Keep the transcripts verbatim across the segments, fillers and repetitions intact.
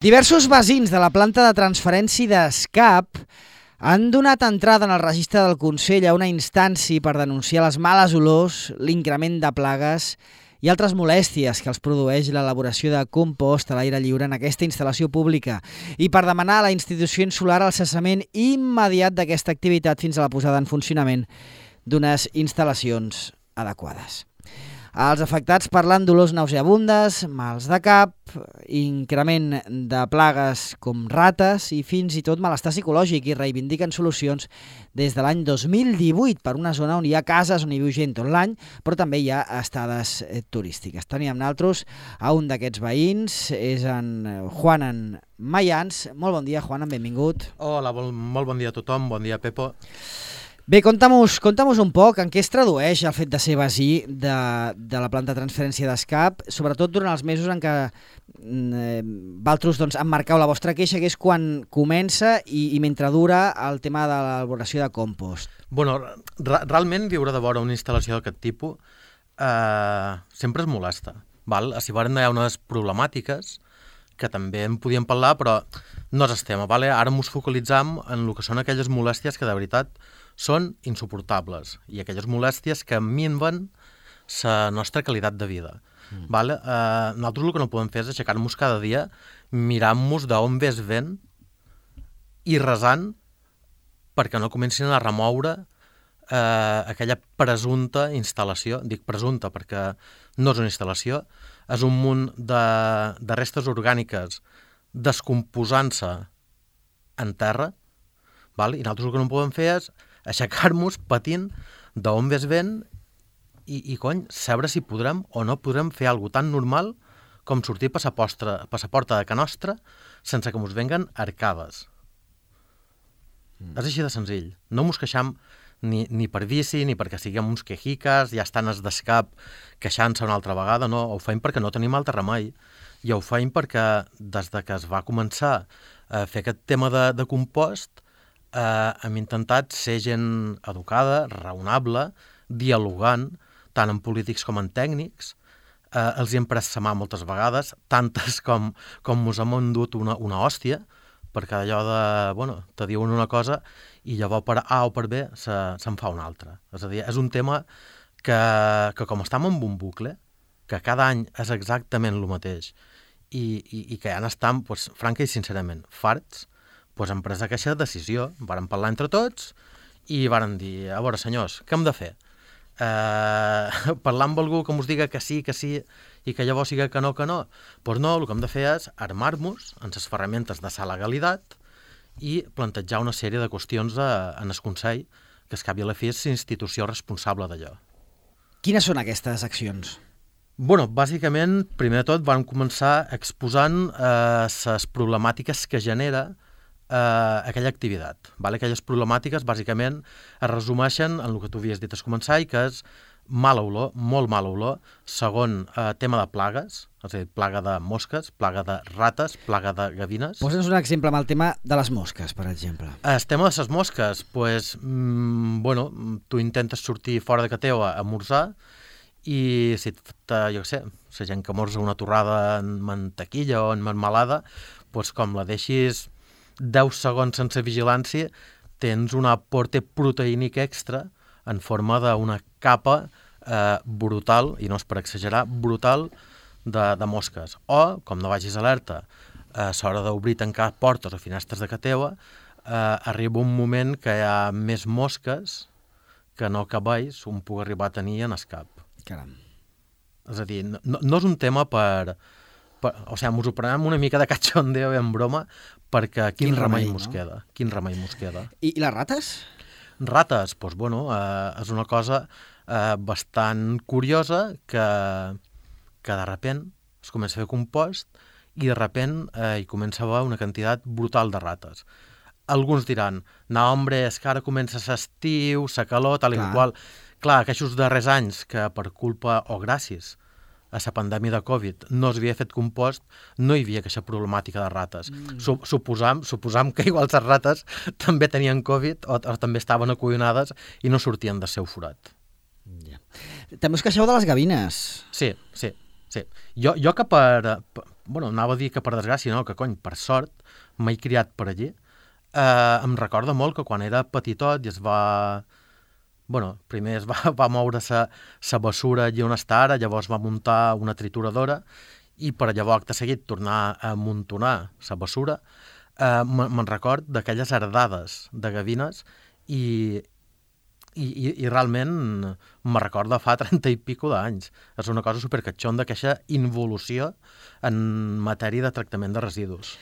Diversos veïns de la planta de transferència d'Escap han donat entrada en el registre del Consell a una instància per denunciar les males olors, l'increment de plagues i altres molèsties que els produeix l'elaboració de compost a l'aire lliure en aquesta instal·lació pública i per demanar a la institució insular el cessament immediat d'aquesta activitat fins a la posada en funcionament d'unes instal·lacions adequades. Els afectats parlen dolors nauseabundes, mals de cap, increment de plagues com rates i fins i tot malestar psicològic i reivindiquen solucions des de l'any dos mil divuit per una zona on hi ha cases on hi viu gent tot l'any, però també hi ha estades turístiques. Teníem nosaltres a un d'aquests veïns, és en Juanan Mayans. Molt bon dia, Juanan, benvingut. Hola, molt bon dia a tothom, bon dia, Pepo. Bé, conta'm-nos conta'm un poc en què es tradueix el fet de ser veí de, de la planta de transferència d'Escap, sobretot durant els mesos en què eh, vosaltres doncs, emmarcau la vostra queixa, que és quan comença i, i mentre dura el tema de l'elaboració de compost. Bueno, re realment viure de vora una instal·lació d'aquest tipus eh, sempre es molesta. Val? Si varen hi ha unes problemàtiques que també en podíem parlar, però no és el tema. Vale? Ara ens focalitzam en el que són aquelles molèsties que de veritat són insuportables i aquelles molèsties que minven la nostra qualitat de vida. Mm. Vale? Eh, nosaltres el que no podem fer és aixecar-nos cada dia mirant-nos d'on ve el vent i resant perquè no comencin a remoure eh, aquella presumpta instal·lació. Dic presumpta perquè no és una instal·lació, és un munt de, de restes orgàniques descomposant-se en terra, val? I nosaltres el que no podem fer és aixecar-nos patint d'on ve el vent i, i cony, saber si podrem o no podrem fer alguna tan normal com sortir per la porta de ca nostra sense que ens venguen arcades. Mm. És així de senzill. No ens queixam ni, ni per bici, ni perquè siguem uns quejiques, ja estan els d'Escap queixant-se una altra vegada, no, ho feim perquè no tenim altre remei. I ho feim perquè des de que es va començar a fer aquest tema de, de compost, Uh, hem intentat ser gent educada, raonable, dialogant, tant en polítics com en tècnics. Uh, els hi hem pres sa mà moltes vegades, tantes com, com mos hem endut una, una hòstia, perquè allò de, bueno, te diuen una cosa i llavors per A o per B se'n se fa una altra. És a dir, és un tema que, que com estem en un bucle, que cada any és exactament el mateix, i, i, i que ja n'estem, pues, franca i sincerament, farts, pues hem pres aquesta decisió, vàrem parlar entre tots i vàrem dir, a veure senyors, què hem de fer? Eh, parlar amb algú que ens diga que sí, que sí, i que llavors siga que no, que no? Doncs pues no, el que hem de fer és armar-nos en les ferramentes de la legalitat i plantejar una sèrie de qüestions a, en el Consell, que es cap i a la fi és l'institució responsable d'allò. Quines són aquestes accions? Bueno, bàsicament, primer de tot, vam començar exposant eh, les problemàtiques que genera Uh, aquella activitat. Vale? Aquelles problemàtiques, bàsicament, es resumeixen en el que tu havies dit al començar, i que és mala olor, molt mala olor. Segon, uh, tema de plagues, és a dir, plaga de mosques, plaga de rates, plaga de gavines. Posa'ns un exemple amb el tema de les mosques, per exemple. El tema de les mosques, pues, mm, bueno, tu intentes sortir fora de casa teva a esmorzar i si, te, jo què sé, la gent que morsa una torrada en mantequilla o en marmelada, pues, com la deixis deu segons sense vigilància, tens un aporte proteínic extra en forma d'una capa eh, brutal, i no és per exagerar, brutal de, de mosques. O, com no vagis alerta, a l'hora d'obrir i tancar portes o finestres de casa teva, eh, arriba un moment que hi ha més mosques que no cabells un puc arribar a tenir en Escap. Caram. És a dir, no, no és un tema per... per o sigui, ens ho prenem una mica de cachondeo en broma, perquè quin, quin remei mos no? queda, quin remei mos queda. I, i les rates? Rates, doncs, bueno, eh, és una cosa eh, bastant curiosa que, que de repent es comença a fer compost i de repent eh, hi comença a haver una quantitat brutal de rates. Alguns diran, no, hombre, és que ara comença l'estiu, la calor, tal i qual. Clar, aquests darrers anys que per culpa o gràcies a la pandèmia de Covid no es havia fet compost, no hi havia aquesta problemàtica de rates. Mm. Suposam, suposam que igual les rates també tenien Covid o, o també estaven acollonades i no sortien del seu forat. Yeah. També us queixeu de les gavines. Sí, sí, sí. Jo, jo que per, per, bueno, anava a dir que per desgràcia, no, que cony, per sort, m'he criat per allí. Eh, em recorda molt que quan era petitot i es va... Bueno, primer es va, va moure sa, sa bessura allí on està ara, llavors va muntar una trituradora i per llavors, acte seguit, tornar a amuntonar sa bessura. Eh, me'n record d'aquelles herdades de gavines i, i, i, i realment me recorda fa trenta i pico d'anys. És una cosa supercatxonda, aquesta involució en matèria de tractament de residus.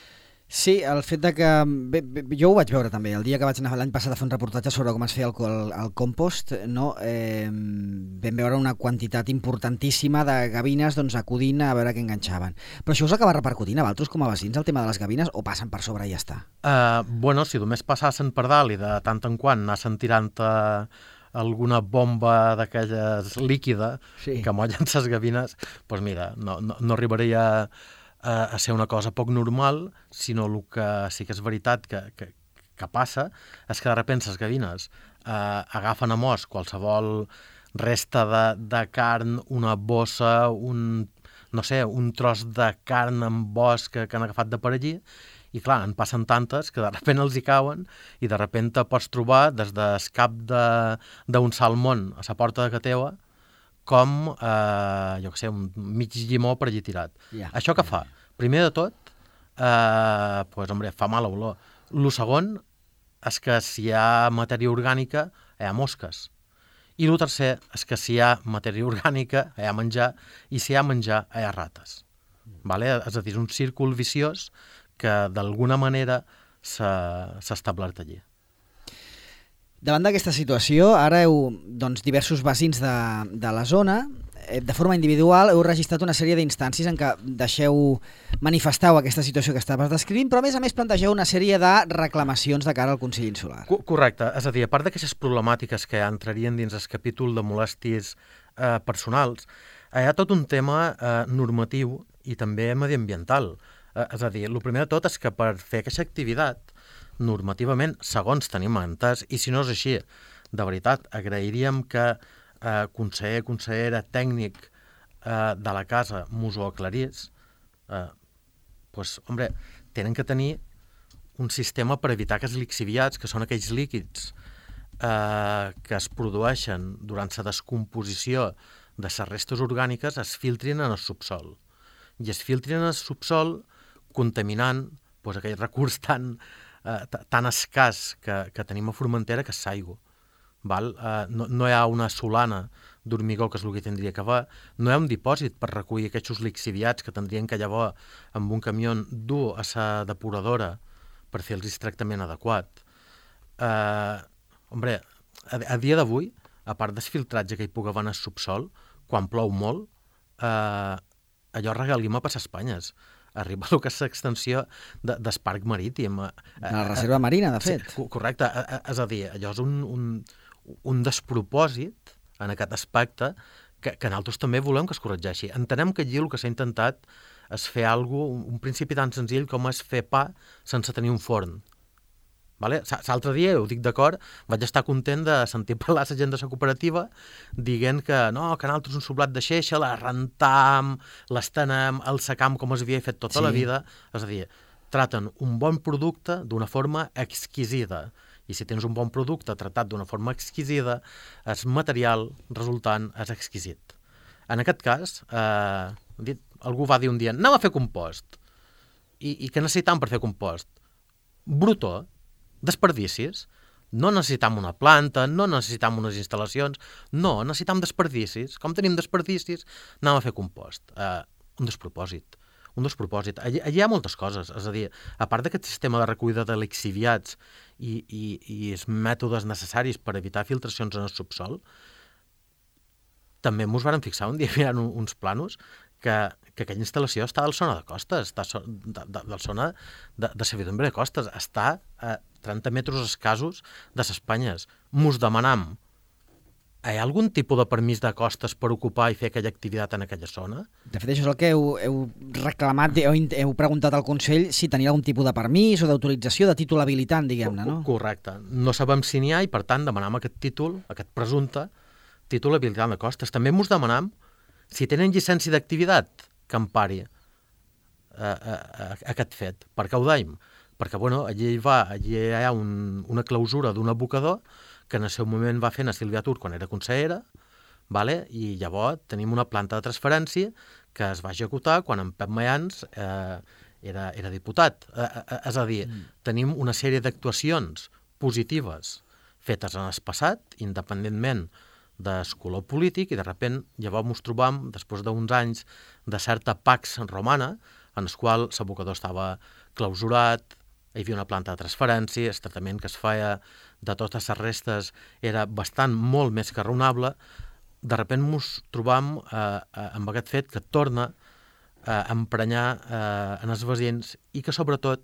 Sí, el fet de que... Bé, bé, jo ho vaig veure també, el dia que vaig anar l'any passat a fer un reportatge sobre com es feia el, el, el compost, no? eh, vam veure una quantitat importantíssima de gavines doncs, acudint a veure què enganxaven. Però això us acaba repercutint a vosaltres com a veïns, el tema de les gavines, o passen per sobre i ja està? Uh, bueno, si només passassen per dalt i de tant en quant anassen tirant uh, alguna bomba d'aquelles líquida sí. que mollen ses gavines, doncs mira, no, no, no arribaria a, a ser una cosa poc normal, sinó el que sí que és veritat que, que, que passa és que de sobte les gavines eh, agafen a mos qualsevol resta de, de carn, una bossa, un, no sé, un tros de carn amb bosc que, que han agafat de per allí, i clar, en passen tantes que de sobte els hi cauen i de sobte pots trobar des del cap d'un salmón a la porta de ca teua com, eh, jo què sé, un mig llimó per allí tirat. Yeah. Això què fa? Primer de tot, eh, pues, hombre, fa mala olor. El segon és que si hi ha matèria orgànica, hi ha mosques. I el tercer és que si hi ha matèria orgànica, hi ha menjar, i si hi ha menjar, hi ha rates. Vale? És a dir, és un círcul viciós que d'alguna manera s'ha establert allí. Davant d'aquesta situació, ara heu, doncs, diversos veïns de, de la zona, de forma individual, heu registrat una sèrie d'instàncies en què deixeu, manifesteu aquesta situació que estaves descrivint, però a més a més plantegeu una sèrie de reclamacions de cara al Consell Insular. Correcte, és a dir, a part d'aquestes problemàtiques que entrarien dins el capítol de molèsties eh, personals, hi ha tot un tema eh, normatiu i també mediambiental. Eh, és a dir, el primer de tot és que per fer aquesta activitat, normativament, segons tenim entès, i si no és així, de veritat, agrairíem que eh, conseller, consellera, tècnic eh, de la casa mos ho aclarís, eh, pues, hombre, tenen que tenir un sistema per evitar que els lixiviats, que són aquells líquids eh, que es produeixen durant la descomposició de les restes orgàniques, es filtrin en el subsol. I es filtrin en el subsol contaminant pues, aquell recurs tan Uh, tan escàs que, que tenim a Formentera, que és l'aigua. Uh, no, no hi ha una solana d'hormigó, que és el que tindria que haver, no hi ha un dipòsit per recollir aquests lixiviats que tindrien que llavors amb un camió dur a la depuradora per fer el tractament adequat. Uh, hombre, a, a dia d'avui, a part del filtratge que hi pugui haver en el subsol, quan plou molt, uh, allò regalima per Espanyes. Arriba a que és l'extensió de, del parc marítim. De la reserva marina, de fet. Sí, correcte. És a dir, allò és un, un, un despropòsit en aquest aspecte que, que nosaltres també volem que es corregeixi. Entenem que allí el que s'ha intentat és fer alguna cosa, un principi tan senzill com és fer pa sense tenir un forn. Vale? L'altre dia, ho dic d'acord, vaig estar content de sentir parlar la gent de la cooperativa dient que no, que nosaltres un soblat de xeixa, la rentam, l'estenem, el secam com es havia fet tota sí. la vida. És a dir, traten un bon producte d'una forma exquisida. I si tens un bon producte tratat d'una forma exquisida, el material resultant és exquisit. En aquest cas, eh, dit, algú va dir un dia, anem a fer compost. I, i què necessitam per fer compost? Brutó. Desperdicis. No necessitam una planta, no necessitam unes instal·lacions, no, necessitam desperdicis. Com tenim desperdicis, anem a fer compost. Uh, un despropòsit. Un despropòsit. Allí, allí hi ha moltes coses. És a dir, a part d'aquest sistema de recollida de lixiviats i, i, i els mètodes necessaris per evitar filtracions en el subsol, també ens vàrem fixar un dia mirant uns planos que, que aquella instal·lació està al zona de costes, està de, de, del zona de, de servidumbre de costes, està a trenta metres escassos de les Espanyes. Mos demanam, hi ha algun tipus de permís de costes per ocupar i fer aquella activitat en aquella zona? De fet, això és el que heu, heu reclamat, heu, heu preguntat al Consell si tenia algun tipus de permís o d'autorització, de títol habilitant, diguem-ne, no? Correcte. No sabem si n'hi ha i, per tant, demanam aquest títol, aquest presumpte títol habilitant de costes. També mos demanam si tenen llicència d'activitat que empari. a, a, a aquest fet. Per què ho deim? Perquè bueno, allí, va, allí hi ha un, una clausura d'un abocador que en el seu moment va fer a Sílvia Tur quan era consellera, vale? I llavors tenim una planta de transferència que es va executar quan en Pep Mayans eh, era, era diputat. Eh, eh, és a dir, mm. tenim una sèrie d'actuacions positives fetes en el passat, independentment del color polític, i de sobte llavors ens trobam, després d'uns anys de certa pax romana, en el qual l'abocador estava clausurat, hi havia una planta de transferència, el tractament que es feia de totes les restes era bastant molt més que raonable. De sobte ens trobam eh, amb aquest fet que torna a emprenyar eh, en els veïns i que sobretot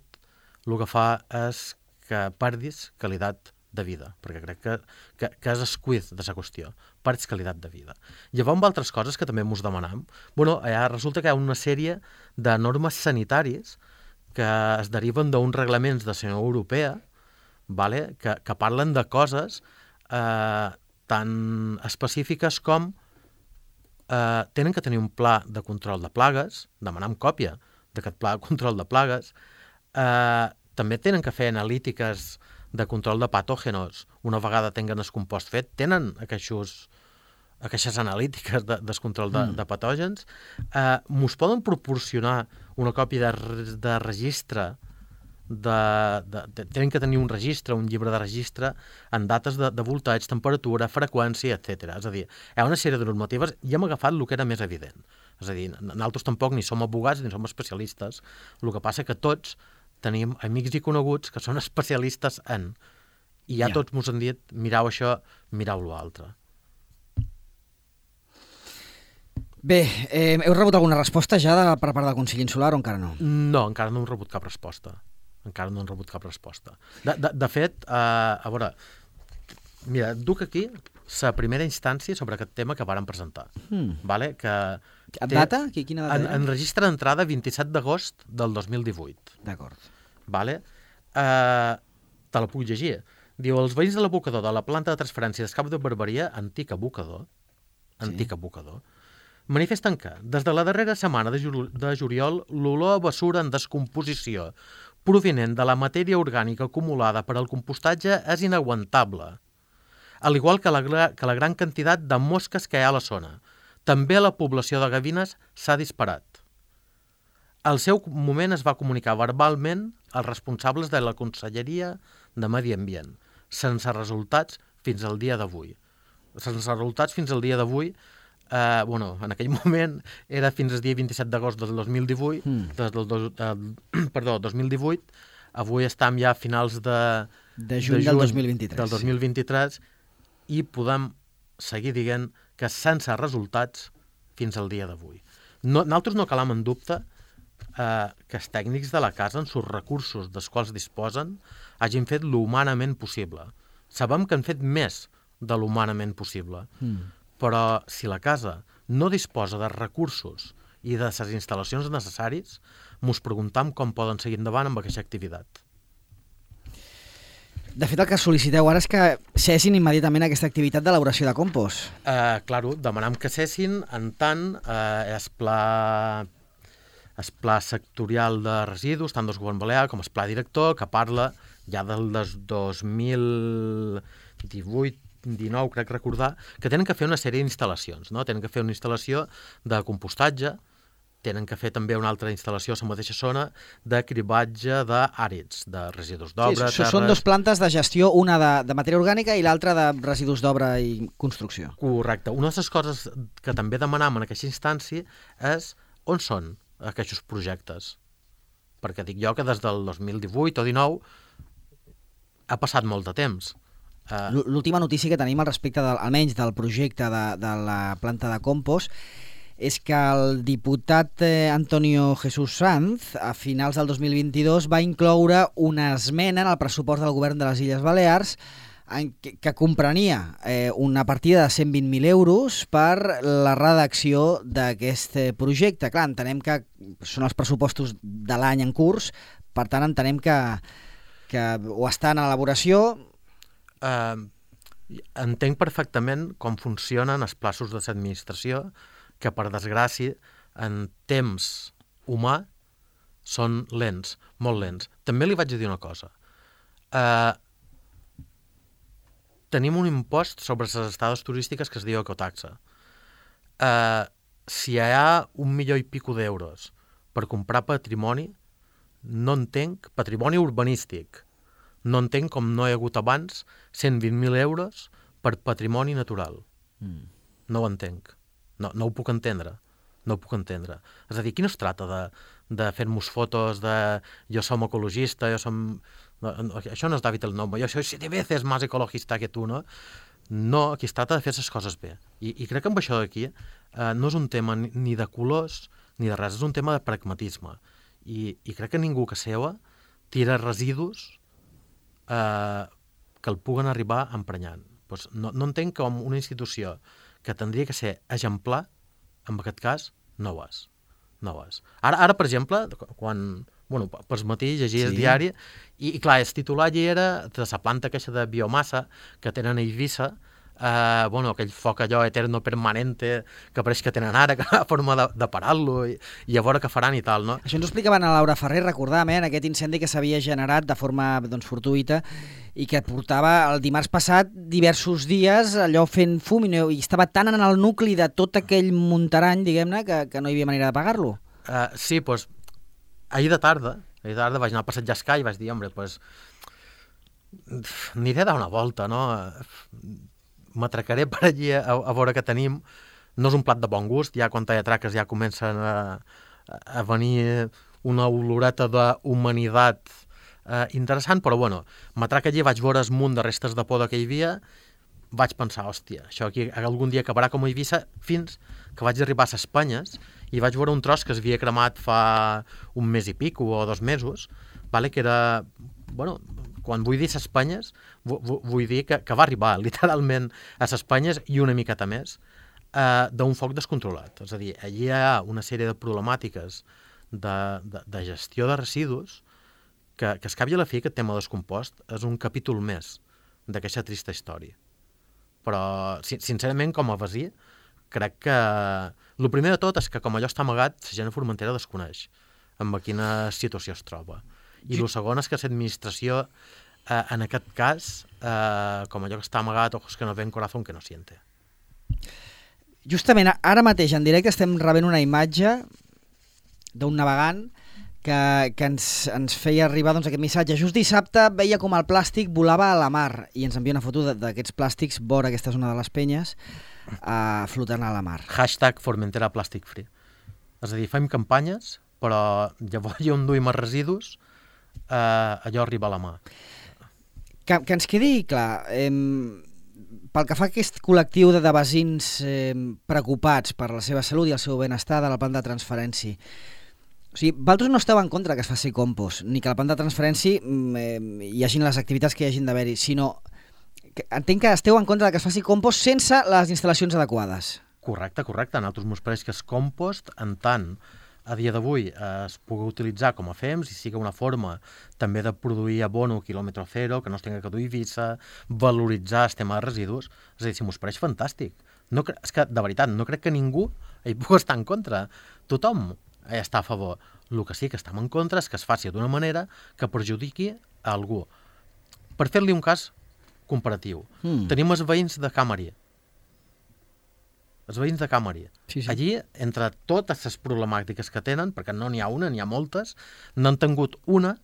el que fa és que perdis qualitat de vida, perquè crec que, que, que és escuit de la qüestió, perds qualitat de vida. Llavors, amb altres coses que també ens demanam, bueno, allà resulta que hi ha una sèrie de normes sanitàries que es deriven d'uns reglaments de la Unió Europea, vale? que, que parlen de coses eh, tan específiques com eh, tenen que tenir un pla de control de plagues, demanam còpia d'aquest pla de control de plagues, eh, també tenen que fer analítiques de control de patògenos una vegada tenen el compost fet, tenen aquests, aquestes analítiques de, de control de, mm. de patògens. Eh, mos poden proporcionar una còpia de, de registre, de, de, de, tenen que tenir un registre, un llibre de registre, en dates de, de voltatge, temperatura, freqüència, etcètera. És a dir, hi ha una sèrie de normatives i hem agafat el que era més evident. És a dir, nosaltres tampoc ni som abogats ni som especialistes, el que passa que tots tenim amics i coneguts que són especialistes en, i ja, ja. tots mos han dit, mirau això, mirau l'altre. Bé, eh, heu rebut alguna resposta ja de, per part del Consell Insular o encara no? No, encara no hem rebut cap resposta. Encara no hem rebut cap resposta. De, de, de fet, eh, a veure, mira, duc aquí la primera instància sobre aquest tema que varen presentar. Hmm. Vale? Que té, data? Quina data? En, en registre d'entrada vint-i-set d'agost del dos mil divuit. D'acord. Vale? Eh, te la puc llegir. Diu, els veïns de l'abocador de la planta de transferència d'Escap de Barberia, antic abocador, antic sí. abocador, manifesten que, des de la darrera setmana de, ju de juliol, l'olor a bessura en descomposició provinent de la matèria orgànica acumulada per al compostatge és inaguantable, al igual que la, que la gran quantitat de mosques que hi ha a la zona. També la població de gavines s'ha disparat. Al seu moment es va comunicar verbalment als responsables de la Conselleria de Medi Ambient, sense resultats fins al dia d'avui. Sense resultats fins al dia d'avui, eh, bueno, en aquell moment era fins al dia vint-i-set d'agost del dos mil divuit, mm. des del dos, eh, perdó, dos mil divuit, avui estem ja a finals de, de juny, de juny del dos mil vint-i-tres. Del dos mil vint-i-tres i podem seguir dient que sense resultats fins al dia d'avui. No, nosaltres no calam en dubte eh, que els tècnics de la casa, en els recursos dels quals disposen, hagin fet l'humanament possible. Sabem que han fet més de l'humanament possible, mm. però si la casa no disposa de recursos i de les instal·lacions necessaris, ens preguntam com poden seguir endavant amb aquesta activitat. De fet, el que sol·liciteu ara és que cessin immediatament aquesta activitat d'elaboració de compost. Eh, claro, demanam que cessin en tant eh, el pla, el pla sectorial de residus, tant del govern balear com el pla director, que parla ja del dos mil divuit dinou, crec recordar, que tenen que fer una sèrie d'instal·lacions, no? Tenen que fer una instal·lació de compostatge, tenen que fer també una altra instal·lació a la mateixa zona de cribatge d'àrids, de residus d'obra, sí, terres... Són dues plantes de gestió, una de, de matèria orgànica i l'altra de residus d'obra i construcció. Correcte. Una de les coses que també demanam en aquesta instància és on són aquests projectes. Perquè dic jo que des del dos mil divuit o dinou ha passat molt de temps. Uh... L'última notícia que tenim al respecte, del, almenys del projecte de, de la planta de compost, és que el diputat eh, Antonio Jesús Sanz, a finals del dos mil vint-i-dos, va incloure una esmena en el pressupost del govern de les Illes Balears en que, que comprenia eh, una partida de cent vint mil euros per la redacció d'aquest projecte. Clar, entenem que són els pressupostos de l'any en curs, per tant entenem que, que o està en elaboració... Uh, entenc perfectament com funcionen els plaços de l'administració, que per desgràcia en temps humà són lents, molt lents. També li vaig dir una cosa. Uh, tenim un impost sobre les estades turístiques que es diu ecotaxa. Uh, si hi ha un milió i pico d'euros per comprar patrimoni, no entenc, patrimoni urbanístic, no entenc com no hi ha hagut abans cent vint mil euros per patrimoni natural. Mm. No ho entenc. No, no ho puc entendre. No ho puc entendre. És a dir, aquí no es tracta de, de fer-nos fotos de jo som ecologista, jo som... No, no, això no és David el Nomo, jo soy siete veces más ecologista que tu, no? No, aquí es tracta de fer les coses bé. I, i crec que amb això d'aquí eh, no és un tema ni, ni de colors ni de res, és un tema de pragmatisme. I, i crec que ningú que seua tira residus eh, que el puguen arribar emprenyant. Pues no, no entenc com una institució que tindria que ser exemplar, en aquest cas, no ho és. No ho és. Ara, ara per exemple, quan... Bueno, pels matí llegia sí. el diari i, i clar, el titular allà era de la planta queixa de biomassa que tenen a Eivissa, eh, bueno, aquell foc allò eterno permanente que pareix que tenen ara, que ha forma de, de parar-lo i, i a veure què faran i tal, no? Això ens ho explicaven a Laura Ferrer, recordàvem, eh, en aquest incendi que s'havia generat de forma doncs, fortuïta i que portava el dimarts passat diversos dies allò fent fum i, no, i estava tan en el nucli de tot aquell muntarany, diguem-ne, que, que no hi havia manera d'apagar-lo. Uh, sí, doncs, ahir de tarda, ahir de tarda vaig anar a passejar Escai i vaig dir, home, doncs, aniré a dar una volta, no? M'atracaré per allí a, a veure què tenim. No és un plat de bon gust, ja quan hi ha traques ja comencen a, a venir una oloreta d'humanitat eh, interessant, però bueno, m'atraca allí, vaig veure el munt de restes de poda que hi havia, vaig pensar, hòstia, això aquí algun dia acabarà com a Eivissa, fins que vaig arribar a les Espanyes i vaig veure un tros que es havia cremat fa un mes i pico o dos mesos, vale, que era, bueno, quan vull dir les Espanyes, vull dir que, que va arribar literalment a les Espanyes i una miqueta més eh, d'un foc descontrolat. És a dir, allí hi ha una sèrie de problemàtiques de, de, de gestió de residus que, que es cap i a la fi aquest tema descompost és un capítol més d'aquesta trista història. Però, sincerament, com a veí, crec que... El primer de tot és que, com allò està amagat, la gent a Formentera desconeix en quina situació es troba. I el segon és que l'administració, eh, en aquest cas, eh, com allò que està amagat, ojos que no ven, corazón que no siente. Justament, ara mateix, en directe, estem rebent una imatge d'un navegant que, que ens, ens feia arribar doncs, aquest missatge. Just dissabte veia com el plàstic volava a la mar i ens envia una foto d'aquests plàstics vora aquesta zona de les Penyes uh, flotant a la mar. Hashtag Formentera Plastic Free. És a dir, fem campanyes, però llavors hi on duim els residus, eh, allò arriba a la mà. Que, que ens quedi clar, eh, pel que fa a aquest col·lectiu de, de veïns eh, preocupats per la seva salut i el seu benestar de la planta de transferència, o sigui, vosaltres no esteu en contra que es faci compost, ni que la planta de transferència eh, hi hagin les activitats que hi hagin d'haver-hi, sinó que entenc que esteu en contra que es faci compost sense les instal·lacions adequades. Correcte, correcte. A nosaltres ens pareix que el compost, en tant a dia d'avui es pugui utilitzar com a fems i sigui una forma també de produir abono quilòmetre zero, que no es tenga que dur Eivissa, valoritzar el tema de residus, és a dir, si m'ho pareix fantàstic. No, és que, de veritat, no crec que ningú hi pugui estar en contra. Tothom està a favor. El que sí que estem en contra és que es faci d'una manera que perjudiqui a algú. Per fer-li un cas comparatiu, mm. tenim els veïns de Camari. Els veïns de Camari. Sí, sí. Allí, entre totes les problemàtiques que tenen, perquè no n'hi ha una, n'hi ha moltes, n'han tingut una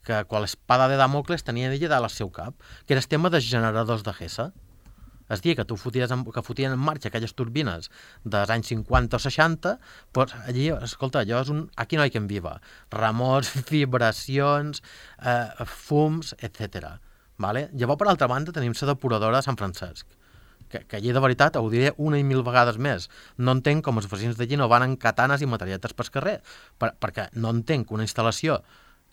que quan l'espada de Damocles tenia d'ella dalt al seu cap, que era el tema dels generadors de Gesa. És dir, que tu foties en, que fotien en marxa aquelles turbines dels anys cinquanta o seixanta, doncs allí, escolta, allò és un... Aquí no hi ha quien viva. Remors, vibracions, eh, fums, etcètera. Vale? Llavors, per altra banda, tenim la depuradora de Sant Francesc, que, que allí, de veritat, ho diré una i mil vegades més. No entenc com els veïns d'allí no van amb katanes i materialetes pel carrer, per, perquè no entenc una instal·lació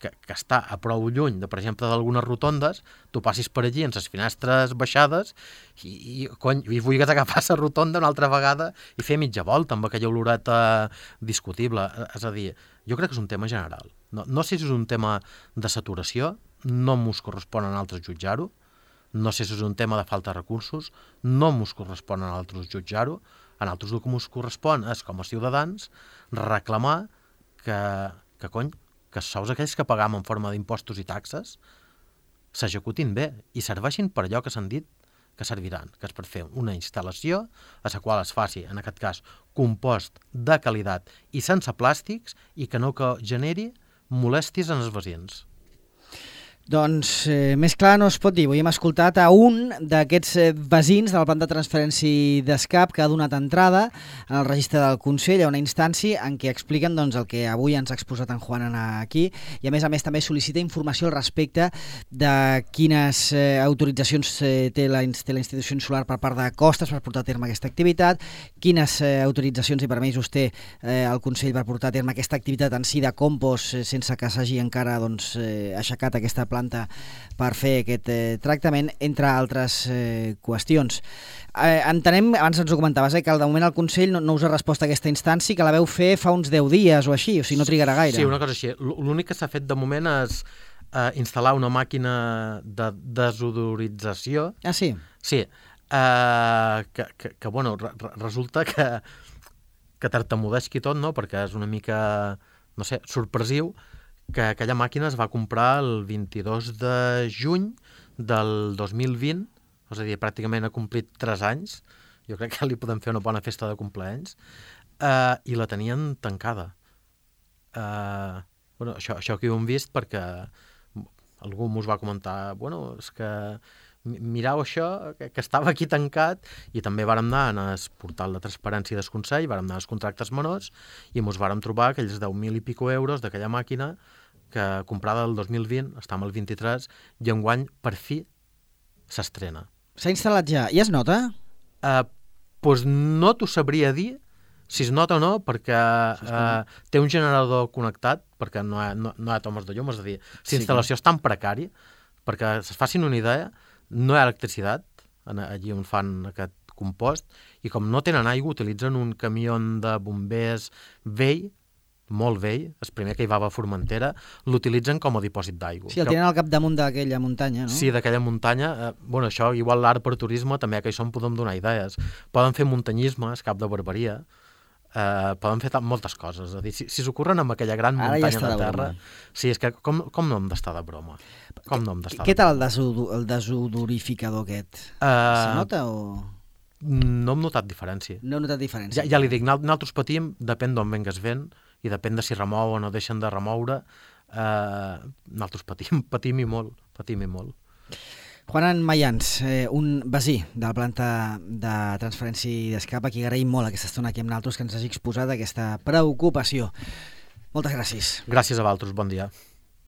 que, que està a prou lluny, de, per exemple, d'algunes rotondes, tu passis per allí amb les finestres baixades i, i, cony, i vulguis agafar la rotonda una altra vegada i fer mitja volta amb aquella oloreta discutible. És a dir, jo crec que és un tema general. No, no sé si és un tema de saturació, no m'us correspon a altres jutjar-ho, no sé si és un tema de falta de recursos, no m'us correspon a altres jutjar-ho, a altres el que m'us correspon és, com a ciutadans, reclamar que, que cony, que els sous aquells que pagam en forma d'impostos i taxes s'executin bé i serveixin per allò que s'han dit que serviran, que és per fer una instal·lació a la qual es faci, en aquest cas, compost de qualitat i sense plàstics i que no que generi molèsties en els veïns. Doncs eh, més clar no es pot dir. Avui hem escoltat a un d'aquests eh, veïns de la planta de transferència d'escap que ha donat entrada en el registre del Consell a una instància en què expliquen doncs, el que avui ens ha exposat en Juan aquí i a més a més també sol·licita informació al respecte de quines eh, autoritzacions eh, té, la, té la institució insular per part de Costes per portar a terme aquesta activitat, quines eh, autoritzacions i permisos té eh, el Consell per portar a terme aquesta activitat en si de compost eh, sense que s'hagi encara doncs, eh, aixecat aquesta planta per fer aquest eh, tractament, entre altres eh, qüestions. Eh, entenem, abans ens ho comentaves, eh, que de moment el Consell no, no us ha respost a aquesta instància, que la veu fer fa uns deu dies o així, o sigui, no trigarà gaire. Sí, una cosa així. L'únic que s'ha fet de moment és eh, instal·lar una màquina de desodorització. Ah, sí? Sí, eh, que, que, que bueno, re, resulta que, que tartamudeixi tot, no?, perquè és una mica, no sé, sorpresiu, que aquella màquina es va comprar el vint-i-dos de juny del dos mil vint, és a dir, pràcticament ha complit tres anys, jo crec que li podem fer una bona festa de compleanys, eh, i la tenien tancada. Eh, bueno, això, això que ho hem vist perquè algú mos va comentar, bueno, és que mirau això, que, que estava aquí tancat, i també vàrem anar en el portal de transparència del Consell, vàrem anar als contractes menors i ens vàrem trobar aquells deu mil i pico euros d'aquella màquina que comprada el dos mil vint, està amb el vint-i-tres, i enguany per fi s'estrena. S'ha instal·lat ja. I es nota? Eh, doncs no t'ho sabria dir si es nota o no, perquè eh, té un generador connectat, perquè no hi ha, no, no hi ha tomes de llum, és a dir, la instal·lació sí, és tan precària, perquè es facin una idea, no hi ha electricitat allí on fan aquest compost, i com no tenen aigua utilitzen un camió de bombers vell, molt vell, el primer que hi va a Formentera, l'utilitzen com a dipòsit d'aigua. Sí, el tenen al capdamunt d'aquella muntanya, no? Sí, d'aquella muntanya. Eh, bueno, això, igual l'art per turisme, també que això en podem donar idees. Poden fer muntanyisme, és cap de barbaria, eh, poden fer moltes coses. És a dir, si, si s'ocorren amb aquella gran Ara muntanya ja de terra... De sí, és que com, com no hem d'estar de broma? Com no hem d'estar Què de tal el, broma? desodo, el desodorificador aquest? Uh, Se nota o...? No hem notat diferència. No he notat diferència. Ja, ja li dic, nosaltres patim, depèn d'on vengues vent, i depèn de si remou o no deixen de remoure, eh, nosaltres patim, patim i molt, patim i molt. Juan Mayans, eh, un veí de la planta de transferència d'escap, a qui agraïm molt aquesta estona aquí amb nosaltres que ens hagi exposat aquesta preocupació. Moltes gràcies. Gràcies a vosaltres, bon dia.